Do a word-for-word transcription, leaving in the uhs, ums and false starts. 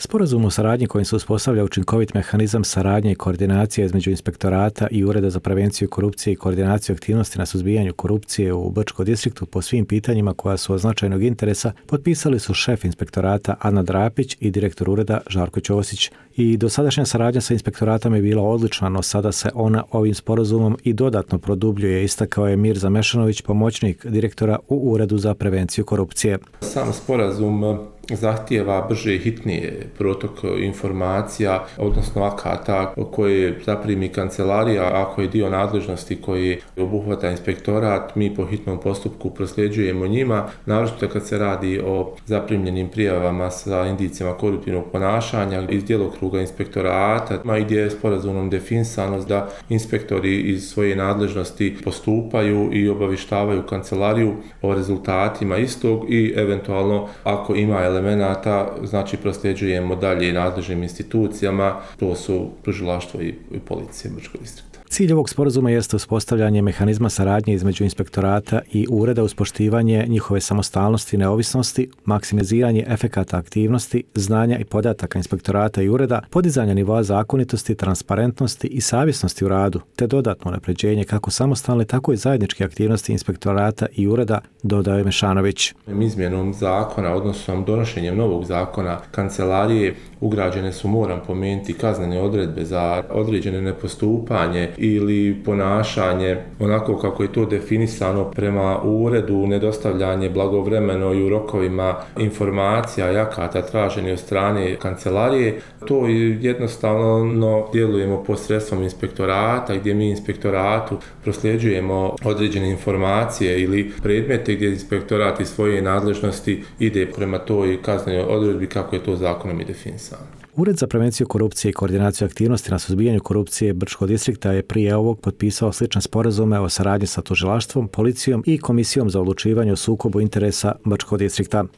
Sporazum o saradnji kojim se uspostavlja učinkovit mehanizam saradnje i koordinacije između inspektorata i Ureda za prevenciju korupcije i koordinaciju aktivnosti na suzbijanju korupcije u Brčkom distriktu po svim pitanjima koja su od značajnog interesa potpisali su šef inspektorata Ana Drapić i direktor ureda Žarko Ćosić. I dosadašnja saradnja sa inspektoratom je bila odlična, no sada se ona ovim sporazumom i dodatno produbljuje, istakao je Mirza Mešanović, pomoćnik direktora u Uredu za prevenciju korupcije. Sam sporazum zahtijeva brže i hitnije protok informacija, odnosno akata koje zaprimi kancelarija, ako je dio nadležnosti koji obuhvata inspektorat, mi po hitnom postupku prosljeđujemo njima, naročito kad se radi o zaprimljenim prijavama sa indicijama koruptivnog ponašanja iz djelokruga inspektorata, i gdje je sporazumom definisano da inspektori iz svoje nadležnosti postupaju i obavištavaju kancelariju o rezultatima istog i eventualno ako ima elemenata, znači prosljeđujemo dalje nadležnim institucijama, to su tužilaštvo i, i policija Brčkog distrikta. Cilj ovog sporazuma jeste uspostavljanje mehanizma saradnje između inspektorata i ureda uz poštivanje njihove samostalnosti i neovisnosti, maksimiziranje efekata aktivnosti, znanja i podataka inspektorata i ureda, podizanje nivoa zakonitosti, transparentnosti i savjesnosti u radu, te dodatno unapređenje kako samostalne, tako i zajedničke aktivnosti inspektorata i ureda, dodao je Mešanović. Izmjenom zakona, odnosno donošenjem novog zakona kancelarije, ugrađene su, moram pomenuti, kaznene odredbe za određene nepostupanje ili ponašanje onako kako je to definisano prema uredu, nedostavljanje blagovremeno i u rokovima informacija i akata traženi od strane kancelarije. To jednostavno djelujemo posredstvom inspektorata, gdje mi inspektoratu prosljeđujemo određene informacije ili predmete gdje inspektorat iz svoje nadležnosti ide prema toj kaznenoj odredbi kako je to zakonom i definisano. Ured za prevenciju korupcije i koordinaciju aktivnosti na suzbijanju korupcije Brčkog distrikta je prije ovog potpisao slične sporazume o saradnji sa tužilaštvom, policijom i Komisijom za odlučivanje o sukobu interesa Brčkog distrikta.